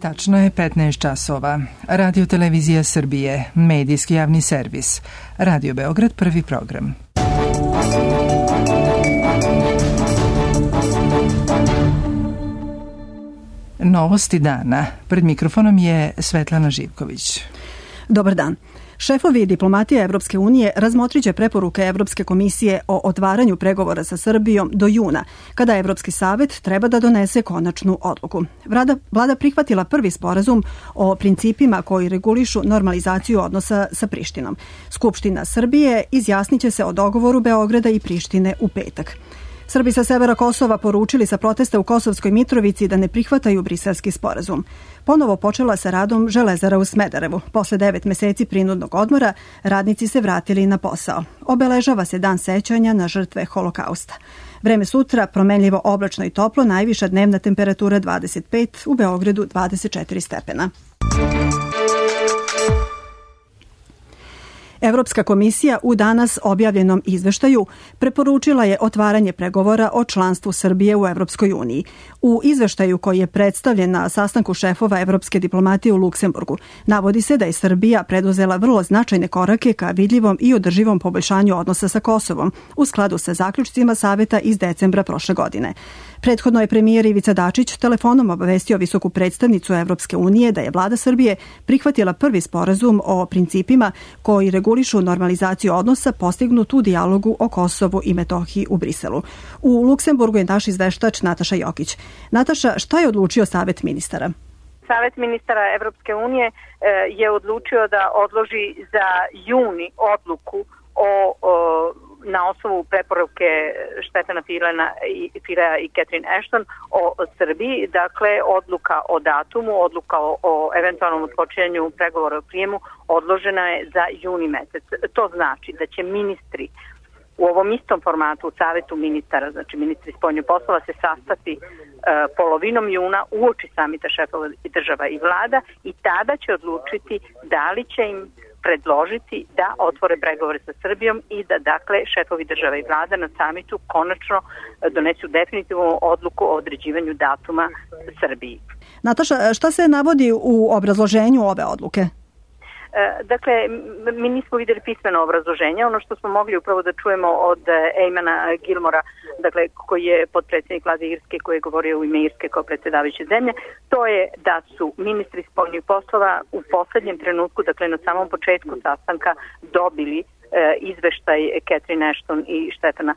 Tačno je 15 časova. Radio Televizija Srbije, medijski javni servis. Radio Beograd, prvi program. Novosti dana. Pred mikrofonom je Svetlana Živković. Dobar dan. Šefovi diplomatije Evropske unije razmotrit će preporuke Evropske komisije o otvaranju pregovora sa Srbijom do juna, kada Evropski savet treba da donese konačnu odluku. Vlada prihvatila prvi sporazum o principima koji regulišu normalizaciju odnosa sa Prištinom. Skupština Srbije izjasnit će se o dogovoru Beograda i Prištine u petak. Srbi sa severa Kosova poručili sa protesta u Kosovskoj Mitrovici da ne prihvataju briselski sporazum. Ponovo počela sa radom železara u Smederevu. Posle 9 meseci prinudnog odmora, radnici se vratili na posao. Obeležava se dan sećanja na žrtve Holokausta. Vreme sutra promenljivo oblačno i toplo, najviša dnevna temperatura 25, u Beogradu 24 stepena. Evropska komisija u danas objavljenom izveštaju preporučila je otvaranje pregovora o članstvu Srbije u Evropskoj uniji. U izveštaju koji je predstavljen na sastanku šefova evropske diplomatije u Luksemburgu navodi se da je Srbija preduzela vrlo značajne korake ka vidljivom i održivom poboljšanju odnosa sa Kosovom u skladu sa zaključcima Saveta iz decembra prošle godine. Prethodno je premijer Ivica Dačić telefonom obavestio visoku predstavnicu Evropske unije da je vlada Srbije prihvatila prvi sporazum o principima koji regulišu normalizaciju odnosa postignut u dijalogu o Kosovu i Metohiji u Briselu. U Luksemburgu je naš izveštač Nataša Jokić. Nataša, šta je odlučio Savet ministara? Savet ministara Evropske unije je odlučio da odloži za juni odluku na osnovu preporuke Štefana Filea i Catherine Ashton o Srbiji, dakle odluka o datumu, odluka o eventualnom odpočinjanju pregovora o prijemu odložena je za juni mesec. To znači da će ministri u ovom istom formatu u Savetu ministara, znači ministri spoljnih poslova, se sastati polovinom juna uoči samita šefova država i vlada i tada će odlučiti da li će im predložiti da otvore pregovore sa Srbijom i da, dakle, šefovi država i vlada na samitu konačno donesu definitivnu odluku o određivanju datuma Srbiji. Nataša, šta se navodi u obrazloženju ove odluke? Dakle, mi nismo vidjeli pismeno obrazloženje. Ono što smo mogli upravo da čujemo od Eamona Gilmora, dakle, koji je potpredsjednik vlade Irske, koji je govorio u ime Irske kao predsjedavajuće zemlje, to je da su ministri spoljnih poslova u poslednjem trenutku, dakle na samom početku sastanka, dobili izveštaj Catherine Ashton i Štefana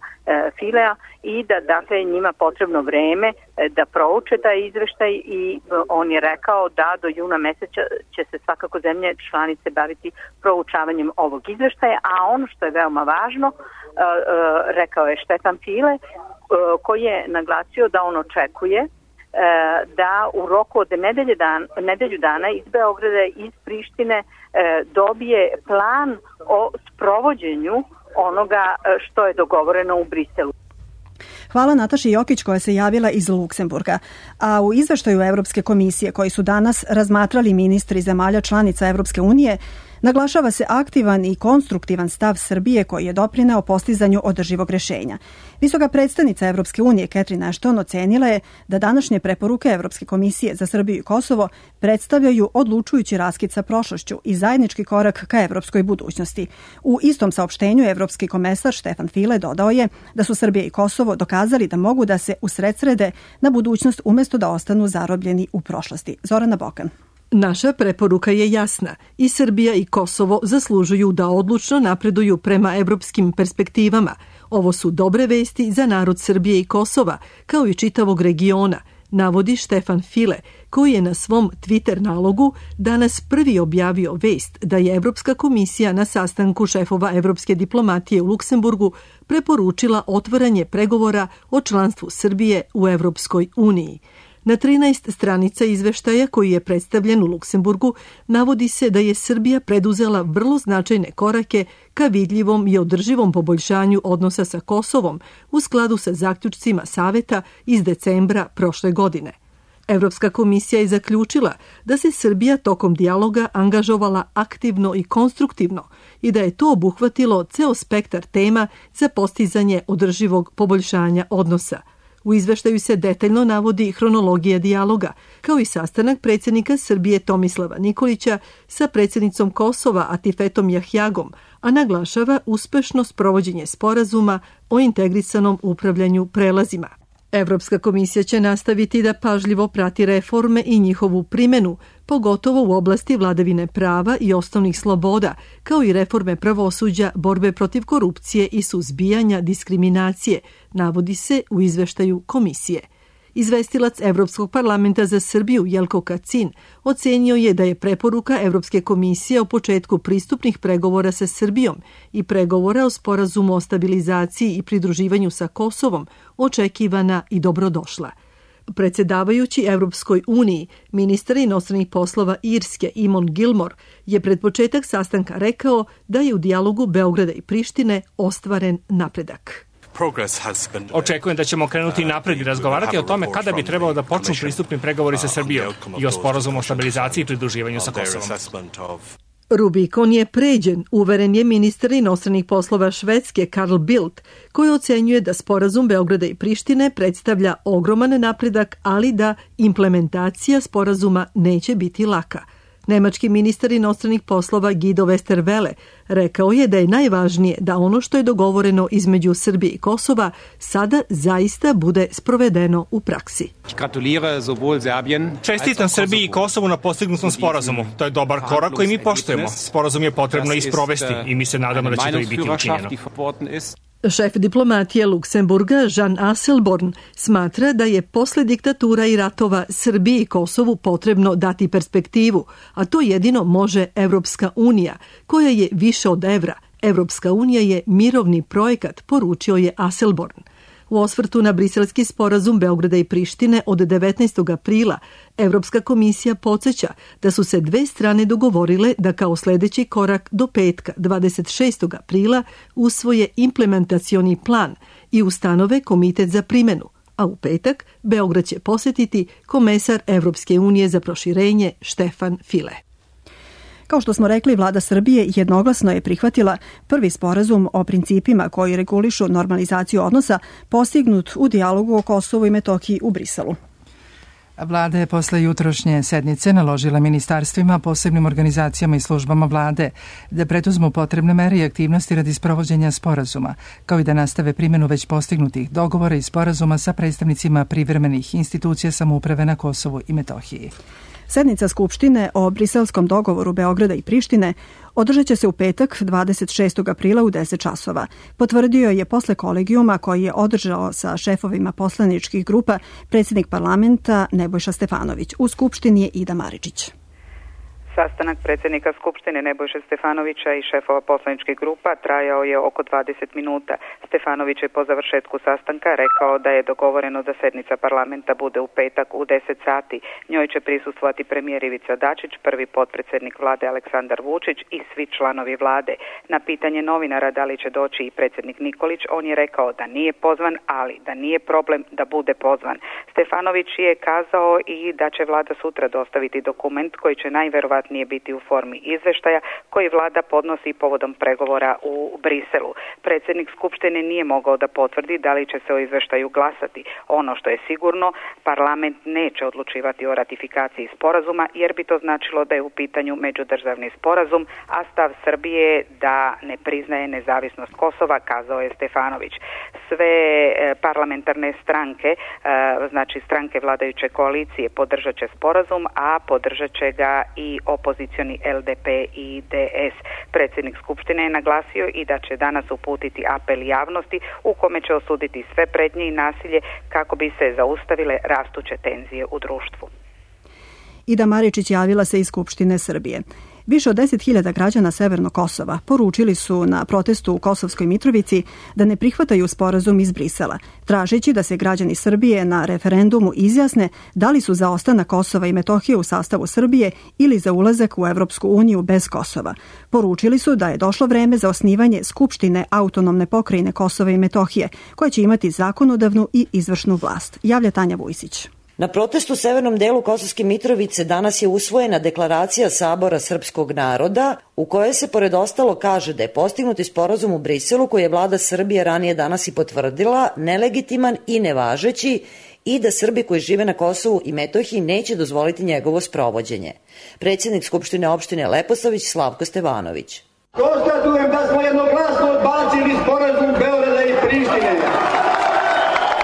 Filea i da, dakle, njima potrebno vreme da prouče taj izveštaj i on je rekao da do juna meseca će se svakako zemlje članice baviti proučavanjem ovog izveštaja, a ono što je veoma važno, rekao je Štefan File, koji je naglasio da on očekuje da u roku od nedelju dana iz Beograda i iz Prištine dobije plan o sprovođenju onoga što je dogovoreno u Briselu. Hvala Nataši Jokić koja se javila iz Luksemburga. A u izveštaju Evropske komisije koji su danas razmatrali ministri zemalja članica Evropske unije, naglašava se aktivan i konstruktivan stav Srbije koji je doprineo postizanju održivog rešenja. Visoka predstavnica Evropske unije Catherine Ashton ocenila je da današnje preporuke Evropske komisije za Srbiju i Kosovo predstavljaju odlučujući raskid sa prošlošću i zajednički korak ka evropskoj budućnosti. U istom saopštenju evropski komesar Štefan File dodao je da su Srbija i Kosovo dokazali da mogu da se usredsrede na budućnost umjesto da ostanu zarobljeni u prošlosti. Zorana Bokan. Naša preporuka je jasna. I Srbija i Kosovo zaslužuju da odlučno napreduju prema evropskim perspektivama. Ovo su dobre vesti za narod Srbije i Kosova, kao i čitavog regiona, navodi Štefan File, koji je na svom Twitter nalogu danas prvi objavio vest da je Evropska komisija na sastanku šefova evropske diplomatije u Luksemburgu preporučila otvaranje pregovora o članstvu Srbije u Evropskoj uniji. Na 13 stranica izveštaja koji je predstavljen u Luksemburgu navodi se da je Srbija preduzela vrlo značajne korake ka vidljivom i održivom poboljšanju odnosa sa Kosovom u skladu sa zaključcima Saveta iz decembra prošle godine. Evropska komisija je zaključila da se Srbija tokom dijaloga angažovala aktivno i konstruktivno i da je to obuhvatilo ceo spektar tema za postizanje održivog poboljšanja odnosa. U izveštaju se detaljno navodi hronologija dijaloga, kao i sastanak predsjednika Srbije Tomislava Nikolića sa predsjednicom Kosova Atifetom Jahjagom, a naglašava uspešno sprovođenje sporazuma o integrisanom upravljanju prelazima. Evropska komisija će nastaviti da pažljivo prati reforme i njihovu primjenu, pogotovo u oblasti vladavine prava i osnovnih sloboda, kao i reforme pravosuđa, borbe protiv korupcije i suzbijanja diskriminacije, navodi se u izveštaju komisije. Izvestilac Evropskog parlamenta za Srbiju Jelko Kacin ocenio je da je preporuka Evropske komisije o početku pristupnih pregovora sa Srbijom i pregovora o sporazumu o stabilizaciji i pridruživanju sa Kosovom očekivana i dobrodošla. Predsjedavajući Evropskoj uniji, ministar inostranih poslova Irske Eamon Gilmore je pred početak sastanka rekao da je u dijalogu Beograda i Prištine ostvaren napredak. Očekujem da ćemo krenuti napred i razgovarati o tome kada bi trebalo da počnu pristupni pregovori sa Srbijom i o sporazumu o stabilizaciji i pridruživanju sa Kosovom. Rubikon je pređen, uveren je ministar inostranih poslova Švedske Carl Bildt, koji ocenjuje da sporazum Beograda i Prištine predstavlja ogroman napredak, ali da implementacija sporazuma neće biti laka. Nemački ministar inostranih poslova Guido Westerwelle rekao je da je najvažnije da ono što je dogovoreno između Srbije i Kosova sada zaista bude sprovedeno u praksi. Čestitam Srbiji i Kosovu na postignutom sporazumu. To je dobar korak koji mi poštujemo. Sporazum je potrebno isprovesti i mi se nadamo da će to i biti učinjeno. Šef diplomatije Luksemburga Jean Asselborn smatra da je posle diktatura i ratova Srbiji i Kosovu potrebno dati perspektivu, a to jedino može Evropska unija, koja je više od evra. Evropska unija je mirovni projekat, poručio je Asselborn. U osvrtu na briselski sporazum Beograda i Prištine od 19. aprila, Evropska komisija podsjeća da su se dve strane dogovorile da kao sljedeći korak do petka 26. aprila usvoje implementacioni plan i ustanove komitet za primjenu, a u petak Beograd će posjetiti komesar Evropske unije za proširenje Štefan File. Kao što smo rekli, vlada Srbije jednoglasno je prihvatila prvi sporazum o principima koji regulišu normalizaciju odnosa postignut u dijalogu o Kosovu i Metohiji u Briselu. Vlada je posle jutrošnje sednice naložila ministarstvima, posebnim organizacijama i službama vlade da preduzmu potrebne mere i aktivnosti radi sprovođenja sporazuma, kao i da nastave primjenu već postignutih dogovora i sporazuma sa predstavnicima privremenih institucija samouprave na Kosovu i Metohiji. Sednica Skupštine o briselskom dogovoru Beograda i Prištine održat će se u petak 26. aprila u 10 časova. Potvrdio je posle kolegijuma koji je održao sa šefovima poslaničkih grupa predsjednik parlamenta Nebojša Stefanović. U Skupštini je Ida Maričić. Sastanak predsjednika Skupštine Nebojše Stefanovića i šefova poslaničkih grupa trajao je oko 20 minuta. Stefanović je po završetku sastanka rekao da je dogovoreno da sednica parlamenta bude u petak u 10 sati. Njoj će prisustvovati premijer Ivica Dačić, prvi potpredsjednik vlade Aleksandar Vučić i svi članovi vlade. Na pitanje novinara da li će doći i predsjednik Nikolić, on je rekao da nije pozvan, ali da nije problem da bude pozvan. Stefanović je kazao i da će vlada sutra dostaviti dokument koji će najverovatnije nije biti u formi izveštaja koji vlada podnosi povodom pregovora u Briselu. Predsjednik Skupštine nije mogao da potvrdi da li će se o izveštaju glasati. Ono što je sigurno, parlament neće odlučivati o ratifikaciji sporazuma jer bi to značilo da je u pitanju međudržavni sporazum, a stav Srbije da ne priznaje nezavisnost Kosova, kazao je Stefanović. Sve parlamentarne stranke, znači stranke vladajuće koalicije, podržat će sporazum, a podržat će ga i opozicioni LDP i DS. Predsjednik Skupštine je naglasio i da će danas uputiti apel javnosti u kome će osuditi sve pretnje i nasilje kako bi se zaustavile rastuće tenzije u društvu. Ida Maričić javila se iz Skupštine Srbije. Više od 10.000 građana Severnog Kosova poručili su na protestu u Kosovskoj Mitrovici da ne prihvataju sporazum iz Brisela, tražeći da se građani Srbije na referendumu izjasne da li su za ostanak Kosova i Metohije u sastavu Srbije ili za ulazak u Evropsku uniju bez Kosova. Poručili su da je došlo vreme za osnivanje Skupštine autonomne pokrajine Kosova i Metohije, koja će imati zakonodavnu i izvršnu vlast. Javlja Tanja Vujsić. Na protestu u severnom delu Kosovske Mitrovice danas je usvojena deklaracija Sabora srpskog naroda u kojoj se pored ostalo kaže da je postignuti sporazum u Briselu koji je vlada Srbije ranije danas i potvrdila nelegitiman i nevažeći i da Srbi koji žive na Kosovu i Metohiji neće dozvoliti njegovo sprovođenje. Predsjednik Skupštine opštine Leposavić Slavko Stevanović. Konstatujem da smo jednoglasno odbacili sporazum Beograda i Prištine.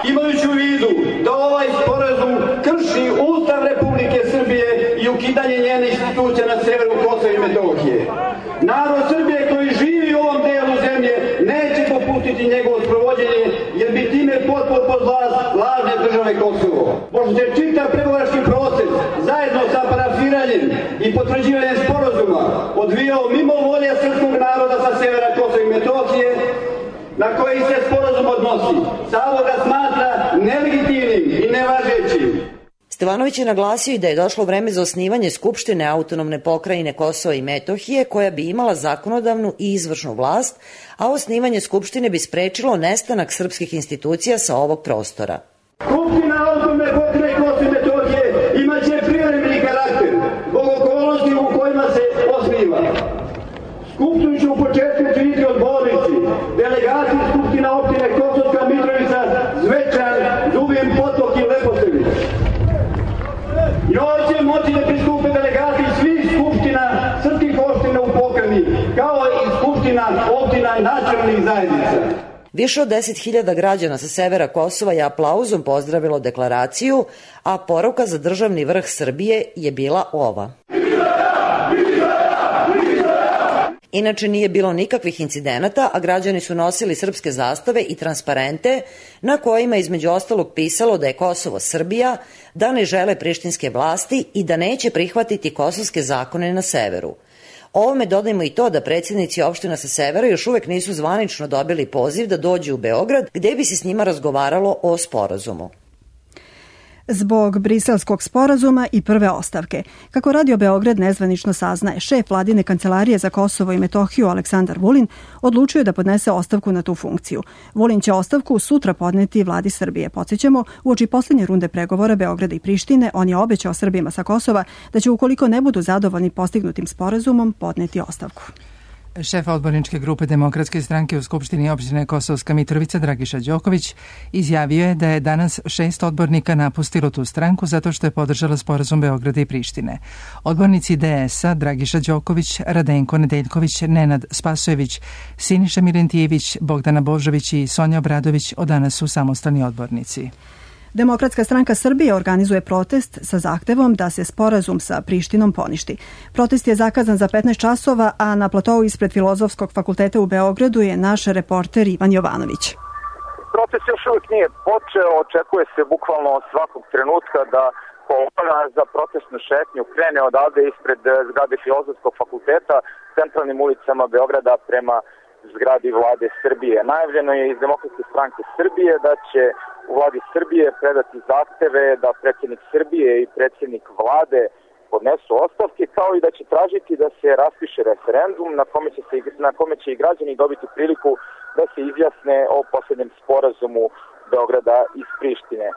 Imajući u vidu da ovaj sporazum krši Ustav Republike Srbije i ukidanje njene institucije na severu Kosova i Metohije. Narod Srbije koji živi u ovom delu zemlje neće popustiti njegovo sprovođenje jer bi time potpuno pod vlast lažne države Kosovo. Pošto se čitav pregovarački proces zajedno sa parafiranjem i potvrđivanjem sporazuma odvijao mimo volje srpskog naroda sa severa Kosova i Metohije, na koji se sporazum odnosi, Sabor ga smatra nelegitimnim i nevažećim. Stevanović je naglasio i da je došlo vreme za osnivanje Skupštine autonomne pokrajine Kosova i Metohije koja bi imala zakonodavnu i izvršnu vlast, a osnivanje Skupštine bi sprečilo nestanak srpskih institucija sa ovog prostora. Skupština autonomne pokrajine Kosova i Metohije imaće privremeni karakter zbog okolnosti u kojima se osniva. Skupštinu će u početku činiti odbornici, delegati Skupština opštine Kosovska Mitrovica, Zvečan, Zubin Potok i Leposavić. Njoj će moći da pristupe delegati svih skupština srpskih opština u pokrajini, kao i skupština opština nacionalnih zajednica. Više od 10.000 građana sa severa Kosova je aplauzom pozdravilo deklaraciju, a poruka za državni vrh Srbije je bila ova. Inače nije bilo nikakvih incidenata, a građani su nosili srpske zastave i transparente na kojima između ostalog pisalo da je Kosovo Srbija, da ne žele prištinske vlasti i da neće prihvatiti kosovske zakone na severu. Ovome dodajmo i to da predsjednici opština sa severa još uvek nisu zvanično dobili poziv da dođu u Beograd gde bi se s njima razgovaralo o sporazumu. Zbog briselskog sporazuma i prve ostavke. Kako Radio Beograd nezvanično saznaje, šef vladine kancelarije za Kosovo i Metohiju Aleksandar Vulin odlučio da podnese ostavku na tu funkciju. Vulin će ostavku sutra podneti vladi Srbije. Podsjećamo, uoči poslednje runde pregovora Beograda i Prištine, on je obećao Srbima sa Kosova da će ukoliko ne budu zadovoljni postignutim sporazumom podneti ostavku. Šef odborničke grupe Demokratske stranke u Skupštini opštine Kosovska Mitrovica Dragiša Đoković izjavio je da je danas 6 odbornika napustilo tu stranku zato što je podržala sporazum Beograda i Prištine. Odbornici DS-a Dragiša Đoković, Radenko Nedeljković, Nenad Spasojević, Siniša Milentijević, Bogdana Božović i Sonja Obradović od danas su samostalni odbornici. Demokratska stranka Srbije organizuje protest sa zahtevom da se sporazum sa Prištinom poništi. Protest je zakazan za 15 časova, a na platovu ispred Filozofskog fakulteta u Beogradu je naš reporter Ivan Jovanović. Protest još uvijek nije počeo, očekuje se bukvalno svakog trenutka da kolona za protestnu šetnju krene odavde ispred zgrade Filozofskog fakulteta centralnim ulicama Beograda prema zgradi vlade Srbije. Najavljeno je iz Demokratske stranke Srbije da će u vladi Srbije predati zahteve da predsjednik Srbije i predsjednik vlade podnesu ostavke, kao i da će tražiti da se raspiše referendum na kome će i građani dobiti priliku da se izjasne o posljednjem sporazumu Beograda iz Prištine.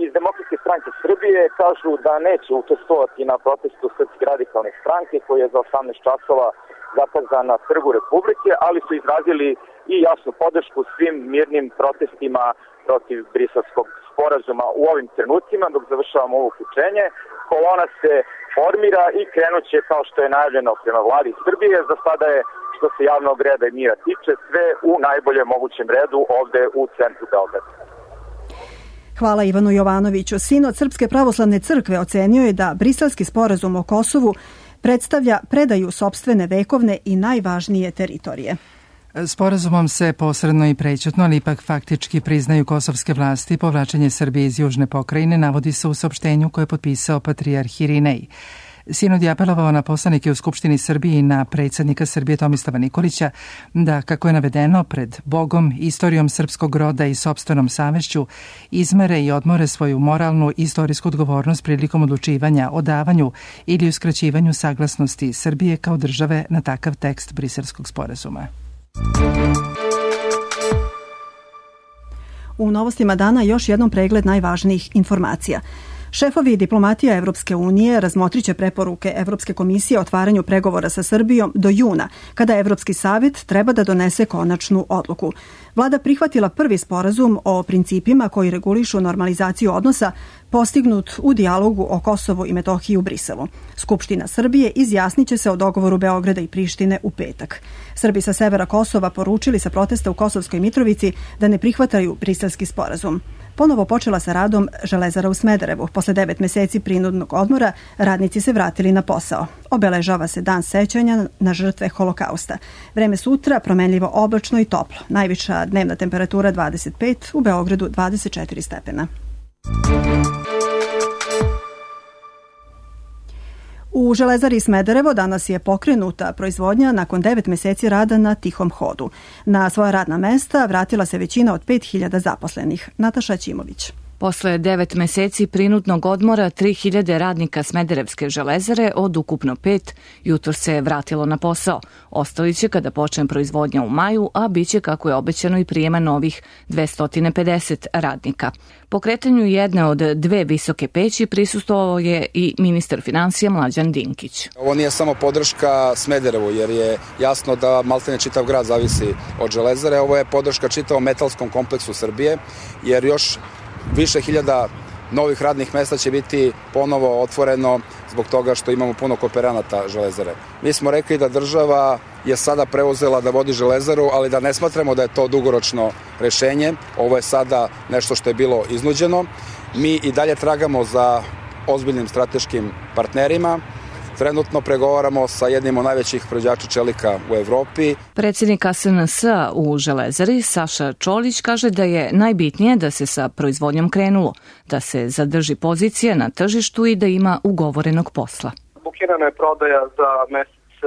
Iz Demokratske stranke Srbije kažu da neće učestvovati na protestu Srpske radikalne stranke koji je za 18 časova zakazan na Trgu Republike, ali su izrazili i jasnu podršku svim mirnim protestima protiv briselskog sporazuma u ovim trenucima. Dok završavamo ovo uključenje, kolona se formira i krenuće kao što je najavljeno prema vladi Srbije. Za sada je, što se javnog reda i mira tiče, sve u najboljem mogućem redu ovde u centru Beograda. Hvala Ivanu Jovanoviću. Sinod Srpske pravoslavne crkve ocenio je da briselski sporazum o Kosovu predstavlja predaju sopstvene vekovne i najvažnije teritorije. Sporazumom se posredno i prećutno, ali ipak faktički priznaju kosovske vlasti povlačenje Srbije iz južne pokrajine, navodi se u saopštenju koje je potpisao patrijarh Irinej. Sinod je apelovao na poslanike u Skupštini Srbije i na predsjednika Srbije Tomislava Nikolića da, kako je navedeno, pred Bogom, istorijom srpskog roda i sopstvenom savešću izmere i odmore svoju moralnu i istorijsku odgovornost prilikom odlučivanja o davanju ili uskraćivanju saglasnosti Srbije kao države na takav tekst briselskog sporazuma. U novostima dana još jednom pregled najvažnijih informacija. Šefovi diplomatija Evropske unije razmotriće preporuke Evropske komisije o otvaranju pregovora sa Srbijom do juna, kada Evropski savet treba da donese konačnu odluku. Vlada prihvatila prvi sporazum o principima koji regulišu normalizaciju odnosa postignut u dijalogu o Kosovu i Metohiji u Briselu. Skupština Srbije izjasniće se o dogovoru Beograda i Prištine u petak. Srbi sa severa Kosova poručili sa protesta u Kosovskoj Mitrovici da ne prihvataju briselski sporazum. Ponovo počela sa radom Železara u Smederevu. Posle 9 meseci prinudnog odmora radnici se vratili na posao. Obeležava se dan sećanja na žrtve Holokausta. Vreme sutra promenljivo oblačno i toplo. Najviša dnevna temperatura 25, u Beogradu 24 stepena. U Železari Smederevo danas je pokrenuta proizvodnja nakon 9 meseci rada na tihom hodu. Na svoja radna mesta vratila se većina od 5000 zaposlenih. Nataša Ćimović. Posle 9 meseci prinudnog odmora 3000 radnika Smederevske železare od ukupno 5 jutro se vratilo na posao. Ostali će kada počne proizvodnja u maju, a biće kako je obećano i prijema novih 250 radnika. Pokretanju jedne od 2 visoke peći prisustvovao je i ministar finansija Mlađan Dinkić. Ovo nije samo podrška Smederevu, jer je jasno da maltene čitav grad zavisi od železare. Ovo je podrška čitavom metalskom kompleksu Srbije, jer još više hiljada novih radnih mesta će biti ponovo otvoreno zbog toga što imamo puno kooperanata železare. Mi smo rekli da država je sada preuzela da vodi železaru, ali da ne smatramo da je to dugoročno rešenje. Ovo je sada nešto što je bilo iznuđeno. Mi i dalje tragamo za ozbiljnim strateškim partnerima. Trenutno pregovaramo sa jednim od najvećih proizvođača čelika u Evropi. Predsjednik SNS-a u Železari, Saša Čolić, kaže da je najbitnije da se sa proizvodnjom krenulo, da se zadrži pozicija na tržištu i da ima ugovorenog posla. Bukirana je prodaja za mesec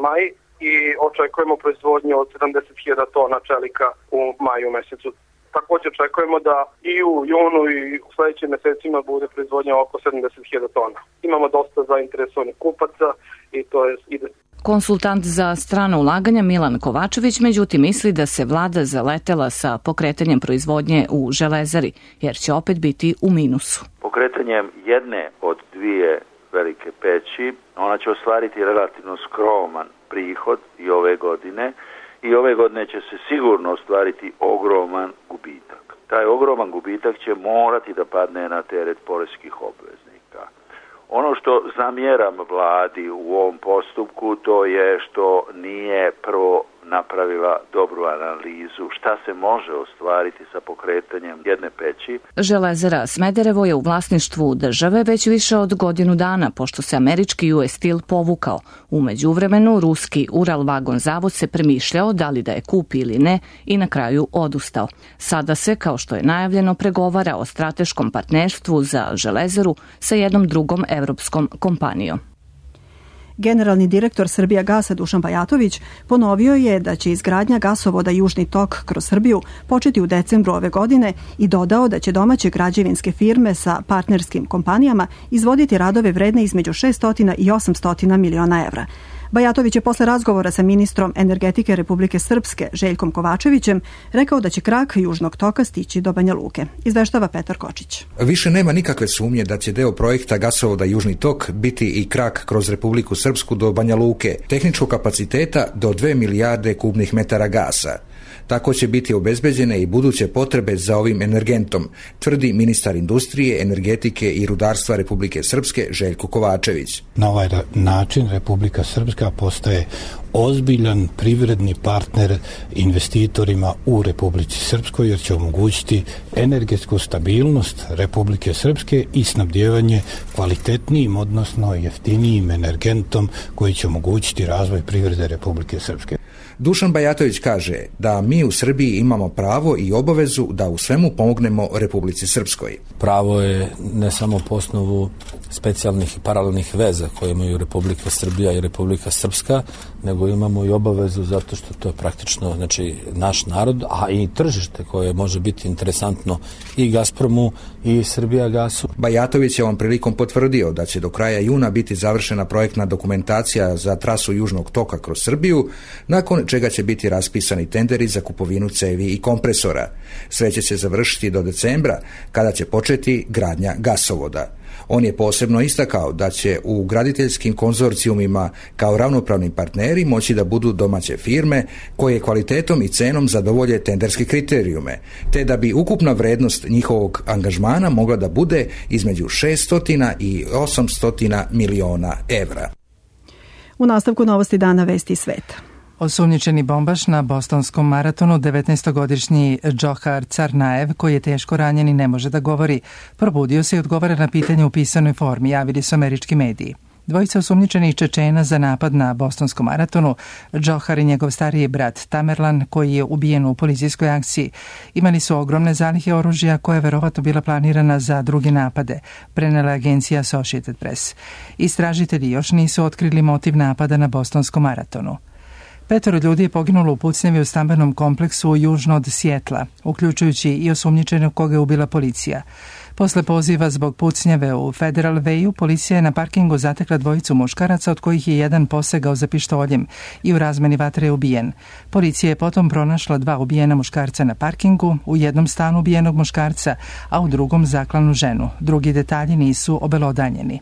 maj i očekujemo proizvodnju od 70.000 tona čelika u maju mesecu. Također očekujemo da i u junu i u sledećim mesecima bude proizvodnja oko 70.000 tona. Imamo dosta zainteresovanih kupaca i to ide. Konsultant za strano ulaganja Milan Kovačević međutim misli da se vlada zaletela sa pokretanjem proizvodnje u železari, jer će opet biti u minusu. Pokretanjem jedne od 2 velike peći, ona će ostvariti relativno skroman prihod i ove godine, i ove godine će se sigurno ostvariti ogroman gubitak. Taj ogroman gubitak će morati da padne na teret poreskih obveznika. Ono što zamjeram vladi u ovom postupku, to je što nije prvo napravila dobru analizu šta se može ostvariti sa pokretanjem jedne peći. Železara Smederevo je u vlasništvu države već više od godinu dana, pošto se američki US Steel povukao. U međuvremenu, ruski Uralvagon zavod se premišljao da li da je kupi ili ne i na kraju odustao. Sada se, kao što je najavljeno, pregovara o strateškom partnerstvu za železaru sa jednom drugom evropskom kompanijom. Generalni direktor Srbijagasa Dušan Bajatović ponovio je da će izgradnja gasovoda Južni tok kroz Srbiju početi u decembru ove godine i dodao da će domaće građevinske firme sa partnerskim kompanijama izvoditi radove vredne između 600 i 800 miliona evra. Bajatović je posle razgovora sa ministrom energetike Republike Srpske Željkom Kovačevićem rekao da će krak Južnog toka stići do Banja Luke. Izveštava Petar Kočić. Više nema nikakve sumnje da će deo projekta gasovoda Južni tok biti i krak kroz Republiku Srpsku do Banja Luke, tehničkog kapaciteta do 2 milijarde kubnih metara gasa. Tako će biti obezbeđene i buduće potrebe za ovim energentom, tvrdi ministar industrije, energetike i rudarstva Republike Srpske Željko Kovačević. Na ovaj način Republika Srpska postaje ozbiljan privredni partner investitorima u Republici Srpskoj, jer će omogućiti energetsku stabilnost Republike Srpske i snabdjevanje kvalitetnijim, odnosno jeftinijim energentom koji će omogućiti razvoj privrede Republike Srpske. Dušan Bajatović kaže da mi u Srbiji imamo pravo i obavezu da u svemu pomognemo Republici Srpskoj. Pravo je ne samo po osnovu specijalnih i paralelnih veza koje imaju Republika Srbija i Republika Srpska, nego imamo i obavezu zato što to je praktično naš narod, a i tržište koje može biti interesantno i Gazpromu i Srbijagasu. Bajatović je ovom prilikom potvrdio da će do kraja juna biti završena projektna dokumentacija za trasu Južnog toka kroz Srbiju nakon nakon čega će biti raspisani tenderi za kupovinu cevi i kompresora. Sve će se završiti do decembra, kada će početi gradnja gasovoda. On je posebno istakao da će u graditeljskim konzorcijumima kao ravnopravni partneri moći da budu domaće firme koje kvalitetom i cenom zadovolje tenderske kriterijume, te da bi ukupna vrednost njihovog angažmana mogla da bude između 600 i 800 miliona evra. U nastavku novosti dana vesti sveta. Osumnjičeni bombaš na bostonskom maratonu, 19-godišnji Džohar Carnaev, koji je teško ranjen i ne može da govori, probudio se i odgovara na pitanje u pisanoj formi, javili su američki mediji. Dvojica osumnjičenih Čečena za napad na bostonskom maratonu, Džohar i njegov stariji brat Tamerlan, koji je ubijen u policijskoj akciji, imali su ogromne zalihe oružja koja je verovatno bila planirana za druge napade, prenela agencija Associated Press. Istražitelji još nisu otkrili motiv napada na bostonskom maratonu. 5 ljudi je poginulo u pucnjavi u stambenom kompleksu južno od Sjetla, uključujući i osumnjičenog koga je ubila policija. Posle poziva zbog pucnjave u Federal Wayu, policija je na parkingu zatekla dvojicu muškaraca, od kojih je jedan posegao za pištoljem i u razmeni vatre je ubijen. Policija je potom pronašla 2 ubijena muškarca na parkingu, u jednom stanu ubijenog muškarca, a u drugom zaklanu ženu. Drugi detalji nisu obelodanjeni.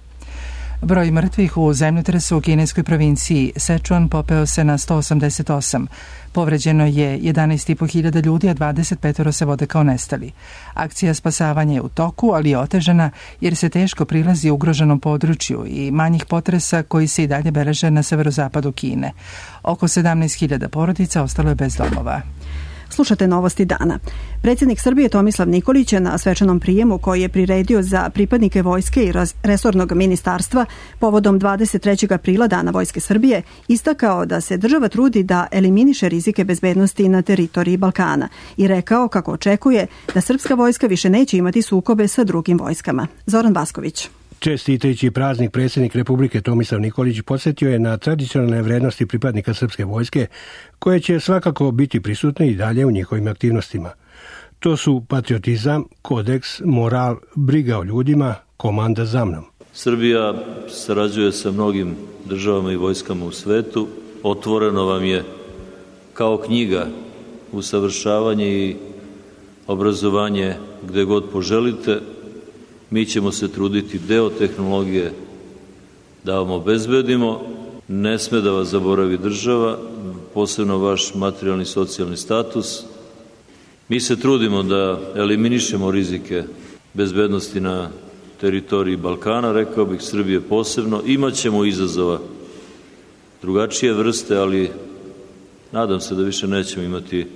Broj mrtvih u zemljotresu u kineskoj provinciji Sichuan popeo se na 188. Povređeno je 11.500 ljudi, a 25 se vode kao nestali. Akcija spasavanja je u toku, ali je otežana jer se teško prilazi ugroženom području i manjih potresa koji se i dalje beleže na severozapadu Kine. Oko 17.000 porodica ostalo je bez domova. Slušate novosti dana. Predsjednik Srbije Tomislav Nikolić je na svečanom prijemu koji je priredio za pripadnike vojske i resornog ministarstva povodom 23. aprila Dana Vojske Srbije istakao da se država trudi da eliminiše rizike bezbednosti na teritoriji Balkana i rekao kako očekuje da srpska vojska više neće imati sukobe sa drugim vojskama. Zoran Vasković. Čestitajući praznik, predsjednik Republike Tomislav Nikolić podsjetio je na tradicionalne vrednosti pripadnika srpske vojske, koje će svakako biti prisutne i dalje u njihovim aktivnostima. To su patriotizam, kodeks, moral, briga o ljudima, komanda za mnom. Srbija sarađuje sa mnogim državama i vojskama u svetu. Otvoreno vam je kao knjiga usavršavanje i obrazovanje gde god poželite. Mi ćemo se truditi deo tehnologije da vam obezbedimo. Ne sme da vas zaboravi država, posebno vaš materijalni i socijalni status. Mi se trudimo da eliminišemo rizike bezbednosti na teritoriji Balkana, rekao bih Srbije posebno. Imaćemo izazova drugačije vrste, ali nadam se da više nećemo imati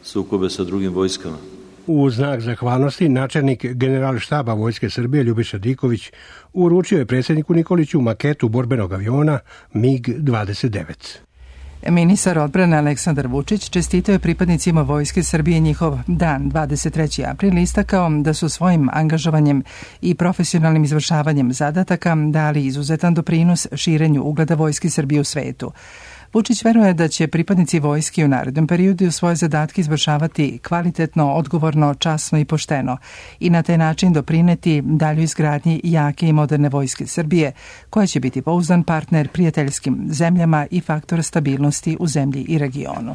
sukobe sa drugim vojskama. U znak zahvalnosti načelnik Generalštaba Vojske Srbije Ljubiša Diković uručio je predsjedniku Nikoliću maketu borbenog aviona MiG-29. Ministar odbrane Aleksandar Vučić čestitao je pripadnicima Vojske Srbije njihov dan 23. april, istakao da su svojim angažovanjem i profesionalnim izvršavanjem zadataka dali izuzetan doprinos širenju ugleda Vojske Srbije u svetu. Vučić veruje da će pripadnici vojske u narednom periodu svoje zadatke izvršavati kvalitetno, odgovorno, časno i pošteno i na taj način doprineti daljoj izgradnji jake i moderne Vojske Srbije, koja će biti pouzdan partner prijateljskim zemljama i faktor stabilnosti u zemlji i regionu.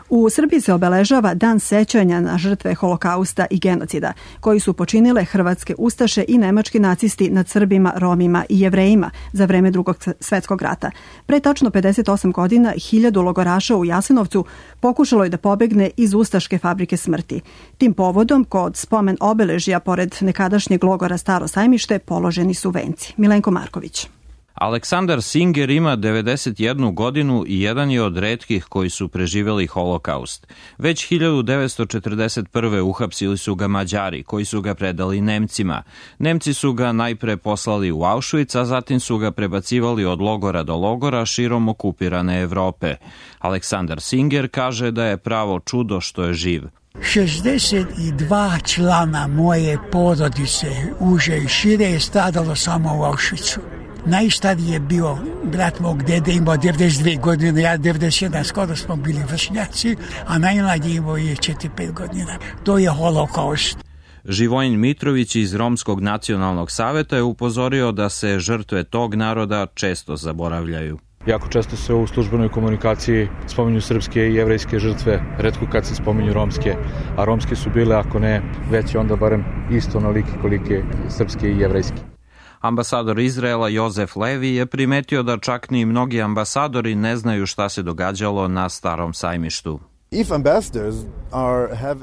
U Srbiji se obeležava Dan sećanja na žrtve Holokausta i genocida, koji su počinile hrvatske ustaše i nemački nacisti nad Srbima, Romima i Jevrejima za vreme Drugog svjetskog rata. Pre tačno 58 godina 1000 logoraša u Jasenovcu pokušalo je da pobegne iz ustaške fabrike smrti. Tim povodom, kod spomen obeležja pored nekadašnjeg logora Staro Sajmište, položeni su venci. Milenko Marković. Aleksandar Singer ima 91 godinu i jedan je od retkih koji su preživjeli holokaust. Već 1941. uhapsili su ga Mađari, koji su ga predali Nemcima. Nemci su ga najpre poslali u Auschwitz, a zatim su ga prebacivali od logora do logora širom okupirane Evrope. Aleksandar Singer kaže da je pravo čudo što je živ. 62 člana moje porodice, uže i šire, je stradalo samo u Auschwitzu. Najstariji je bio brat mog dede, imao 92 godine, ja 91, skoro smo bili vršnjaci, a najmlađi imao je 4-5 godina. To je holokaust. Živojin Mitrović iz Romskog nacionalnog saveta je upozorio da se žrtve tog naroda često zaboravljaju. Jako često se u službenoj komunikaciji spominju srpske i jevrejske žrtve, retko kad se spominju romske, a romske su bile, ako ne veće, onda barem isto onolike kolike srpske i jevrejske. Ambasador Izraela Jozef Levi je primetio da čak ni mnogi ambasadori ne znaju šta se događalo na Starom sajmištu.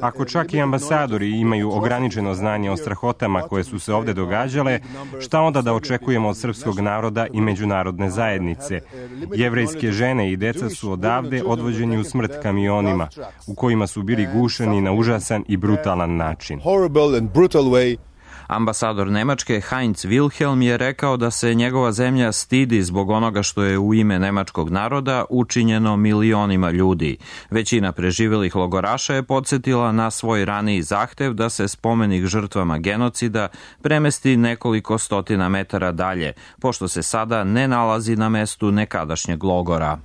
Ako čak i ambasadori imaju ograničeno znanje o strahotama koje su se ovde događale, šta onda da očekujemo od srpskog naroda i međunarodne zajednice? Jevrejske žene i deca su odavde odvođeni u smrt kamionima, u kojima su bili gušeni na užasan i brutalan način. Ambasador Nemačke Heinz Wilhelm je rekao da se njegova zemlja stidi zbog onoga što je u ime nemačkog naroda učinjeno milionima ljudi. Većina preživelih logoraša je podsjetila na svoj raniji zahtev da se spomenik žrtvama genocida premesti nekoliko stotina metara dalje, pošto se sada ne nalazi na mestu nekadašnjeg logora.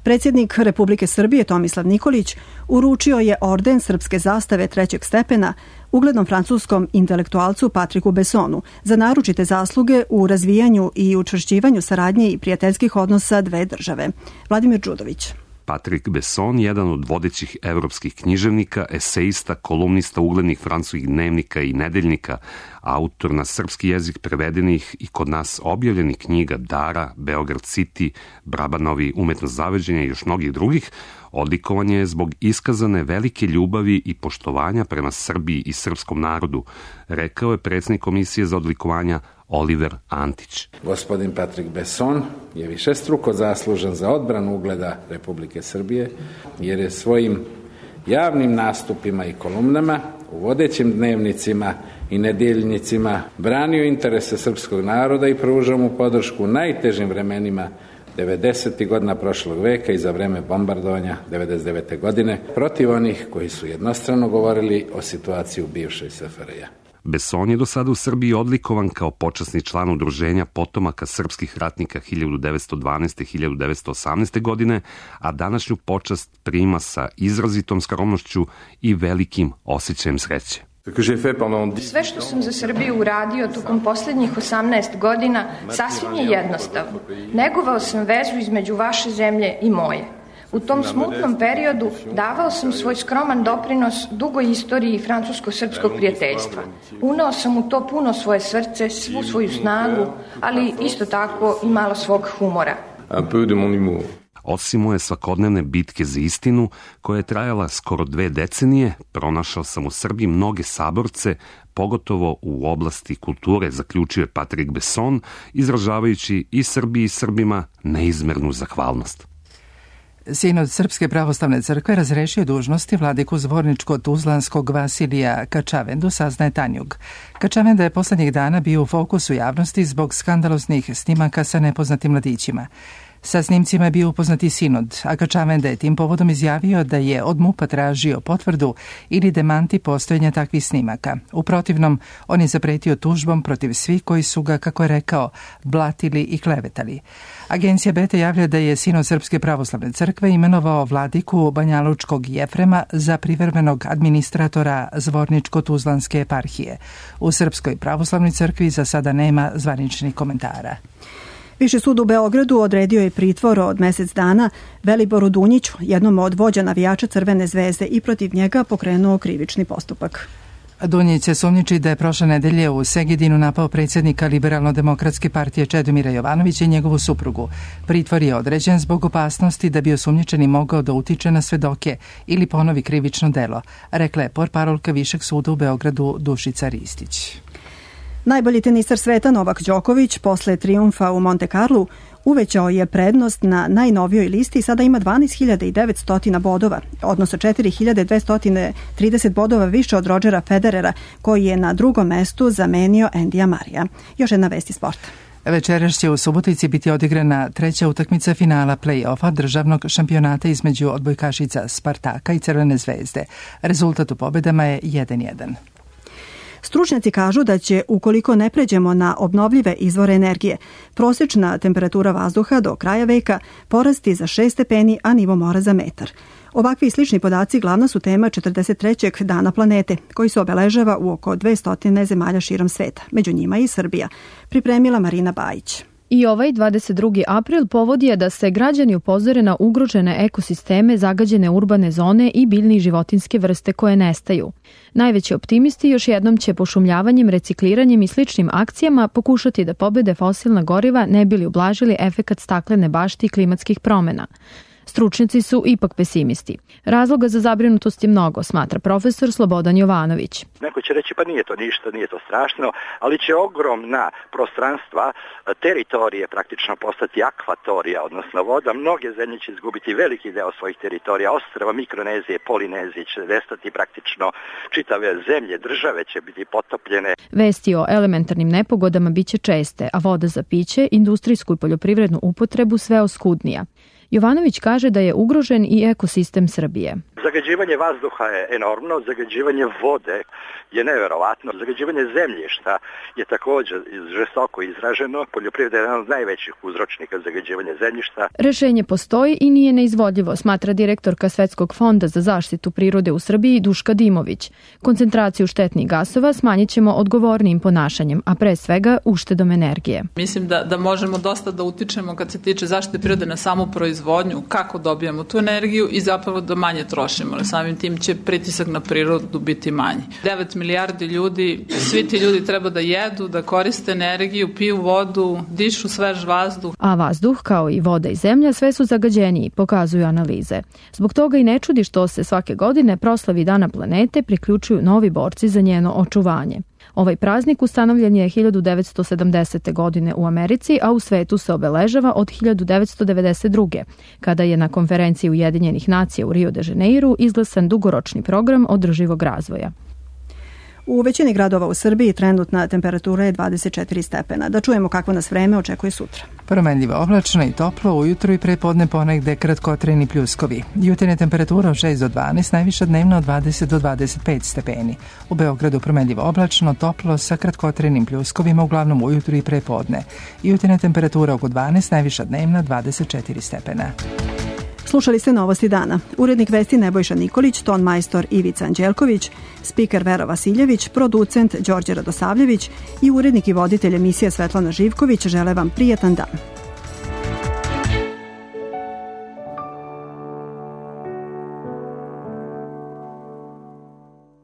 Predsjednik Republike Srbije Tomislav Nikolić uručio je orden srpske zastave 3. stepena uglednom francuskom intelektualcu Patriku Bessonu za naročite zasluge u razvijanju i učvršćivanju saradnje i prijateljskih odnosa dve države. Vladimir Đudović. Patrick Besson, jedan od vodećih evropskih književnika, eseista, kolumnista uglednih francuskih dnevnika i nedeljnika, autor na srpski jezik prevedenih i kod nas objavljenih knjiga Dara, Beograd City, Brabanovi umetnost zaveđenja i još mnogih drugih, odlikovan je zbog iskazane velike ljubavi i poštovanja prema Srbiji i srpskom narodu, rekao je predsjednik Komisije za odlikovanja Oliver Antić. Gospodin Patrick Besson je višestruko zaslužan za odbranu ugleda Republike Srbije, jer je svojim javnim nastupima i kolumnama u vodećim dnevnicima i nedeljnicima branio interese srpskog naroda i pružao mu podršku u najtežim vremenima 90. godina prošlog veka i za vreme bombardovanja 99. godine protiv onih koji su jednostrano govorili o situaciji u bivšoj SFRJ. Besson je do sada u Srbiji odlikovan kao počasni član udruženja potomaka srpskih ratnika 1912-1918. godine, a današnju počast prima sa izrazitom skromnošću i velikim osjećajem sreće. Sve što sam za Srbiju uradio tokom posljednjih 18 godina sasvim je jednostavno. Negovao sam vezu između vaše zemlje i moje. U tom smutnom periodu davao sam svoj skroman doprinos dugoj istoriji francusko-srpskog prijateljstva. Uneo sam u to puno svoje srce, svu svoju snagu, ali isto tako i malo svog humora. Osim moje svakodnevne bitke za istinu, koja je trajala skoro 2 decenije, pronašao sam u Srbiji mnoge saborce, pogotovo u oblasti kulture, zaključio je Patrick Besson, izražavajući i Srbiji i Srbima neizmernu zahvalnost. Sinod Srpske pravoslavne crkve razrešio dužnosti vladiku zvorničko-tuzlanskog Vasilija Kačavendu, saznaje Tanjug. Kačavenda je poslednjih dana bio u fokusu javnosti zbog skandaloznih snimaka sa nepoznatim mladićima. Sa snimcima je bio upoznati sinod, a Kačavenda je tim povodom izjavio da je od MUP-a tražio potvrdu ili demanti postojanja takvih snimaka. U protivnom, on je zapretio tužbom protiv svih koji su ga, kako je rekao, blatili i klevetali. Agencija Beta javlja da je sinod Srpske pravoslavne crkve imenovao vladiku Banjalučkog Jefrema za privremenog administratora Zvorničko-tuzlanske eparhije. U Srpskoj pravoslavnoj crkvi za sada nema zvaničnih komentara. Viši sud u Beogradu odredio je pritvor od mesec dana Veliboru Dunjiću, jednom od vođa navijača Crvene zvezde, i protiv njega pokrenuo krivični postupak. Dunjić se sumnjiči da je prošle nedelje u Segedinu napao predsjednika Liberalno-demokratske partije Čedomira Jovanovića i njegovu suprugu. Pritvor je određen zbog opasnosti da bi osumnjičeni mogao da utiče na svedoke ili ponovi krivično delo, rekla je portparolka Višeg suda u Beogradu Dušica Ristić. Najbolji tenisar sveta Novak Đoković posle trijumfa u Monte Carlu uvećao je prednost na najnovijoj listi i sada ima 12.900 bodova, odnosno 4.230 bodova više od Rodgera Federera, koji je na drugom mestu zamenio Andyja Marija. Još jedna vest iz sporta. Večeras će u Subotici biti odigrana treća utakmica finala play-offa državnog šampionata između odbojkašica Spartaka i Crvene zvezde. Rezultat u pobedama je 1:1. Stručnjaci kažu da će, ukoliko ne pređemo na obnovljive izvore energije, prosječna temperatura vazduha do kraja veka porasti za 6 stepeni, a nivo mora za metar. Ovakvi slični podaci glavna su tema 43. dana planete, koji se obeležava u oko 200 zemalja širom sveta, među njima i Srbija, pripremila Marina Bajić. I ovaj 22. april povod je da se građani upozore na ugrožene ekosisteme, zagađene urbane zone i biljne i životinske vrste koje nestaju. Najveći optimisti još jednom će pošumljavanjem, recikliranjem i sličnim akcijama pokušati da pobede fosilna goriva ne bili ublažili efekat staklene bašte i klimatskih promena. Stručnjaci su ipak pesimisti. Razloga za zabrinutost je mnogo, smatra profesor Slobodan Jovanović. Neko će reći pa nije to ništa, nije to strašno, ali će ogromna prostranstva, teritorije praktično postati akvatorija, odnosno voda. Mnoge zemlje će izgubiti veliki deo svojih teritorija, ostrva Mikronezije, Polinezije će nestati praktično, čitave zemlje, države će biti potopljene. Vesti o elementarnim nepogodama biće česte, a voda za piće, industrijsku i poljoprivrednu upotrebu sve oskudnija. Jovanović kaže da je ugrožen i ekosistem Srbije. Zagađivanje vazduha je enormno, zagađivanje vode je neverovatno, zagađivanje zemljišta je također žestoko izraženo, poljoprivreda je jedan od najvećih uzročnika zagađivanja zemljišta. Rešenje postoji i nije neizvodljivo, smatra direktorka Svetskog fonda za zaštitu prirode u Srbiji Duška Dimović. Koncentraciju štetnih gasova smanjit ćemo odgovornijim ponašanjem, a pre svega uštedom energije. Mislim da možemo dosta da utičemo kad se tiče zaštite prirode na samu proizvodnju, kako dobijamo tu energiju i zapravo da manje trošimo. Samim tim će pritisak na prirodu biti manji. 9 milijardi ljudi, svi ti ljudi treba da jedu, da koriste energiju, piju vodu, dišu svež vazduh. A vazduh, kao i voda i zemlja, sve su zagađeniji, pokazuju analize. Zbog toga i ne čudi što se svake godine proslavi Dana planete priključuju novi borci za njeno očuvanje. Ovaj praznik ustanovljen je 1970. godine u Americi, a u svetu se obeležava od 1992. kada je na konferenciji Ujedinjenih nacija u Rio de Janeiru izglasan dugoročni program održivog razvoja. U većini gradova u Srbiji trenutna temperatura je 24 stepena. Da čujemo kakvo nas vreme očekuje sutra. Promenljivo oblačno i toplo, ujutru i prepodne ponegde kratkotrajni pljuskovi. Jutarnja temperatura od 6 do 12, najviša dnevna od 20 do 25 stepeni. U Beogradu promenljivo oblačno, toplo sa kratkotrajnim pljuskovima, uglavnom ujutru i prepodne. Jutarnja temperatura oko 12, najviša dnevna 24 stepena. Slušali ste Novosti dana. Urednik vesti Nebojša Nikolić, ton majstor Ivica Anđelković, spiker Vera Vasiljević, producent Đorđe Radosavljević i urednik i voditelj emisije Svetlana Živković žele vam prijatan dan.